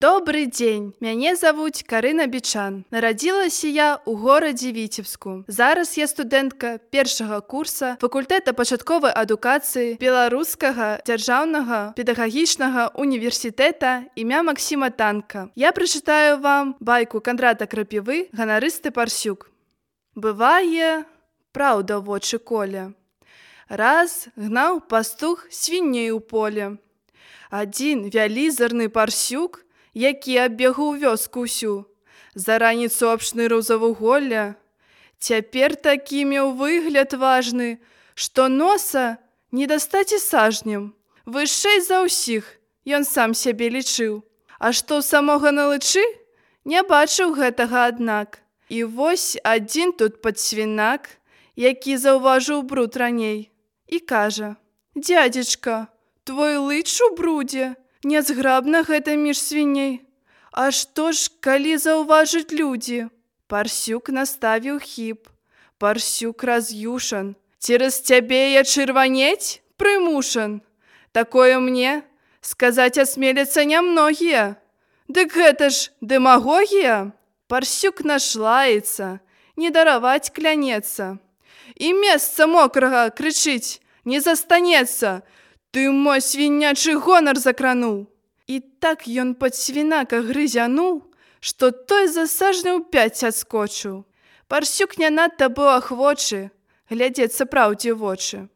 Добрый дзень, мяне завуць Карына Бічан. Нарадзілася я ў горадзе Віцебску. Зараз я студэнтка першага курса факультэта пачатковай адукацыі Беларускага дзяржаўнага педагагічнага універсітэта імя Максіма Танка. Я прачытаю вам байку Кандрата Крапівы «Ганарысты парсюк». Бывае, праўда вочы коле. Раз гнаў пастух свіней у поле. Адзін вялізарны парсюк, які аббегаў вёску ўсю, за раніцу абшнырыў завуголля. Цяпер такі меў выгляд важны, што носа не дастаць і сажнем. Вышэй за ўсіх ён сам сябе лічыў. А што самога на лычы, не бачыў гэтага аднак. І вось адзін тут падсвінак, які заўважыў бруд раней, і кажа: «Дзядзечка, твой лыч у брудзе, нязграбна гэта між свіней. А што ж, калі заўважыць людзі?» Парсюк наставіў хіп. Парсюк раз'юшан. «Цераз цябе я чырванець прымушан. Такое мне сказаць асмеляцца нямногія. Дык гэта ж дэмагогія?» Парсюк нашлаецца, не дараваць клянецца. І месца мокрага, крычыць, не застанецца. «Ты мой свінячы гонар закрануў!» І так ён падсвінака грызянуў, што той за сажняў 5 адскочыў. Парсюк не надта быў ахвочы глядзецца праўдзе ў вочы.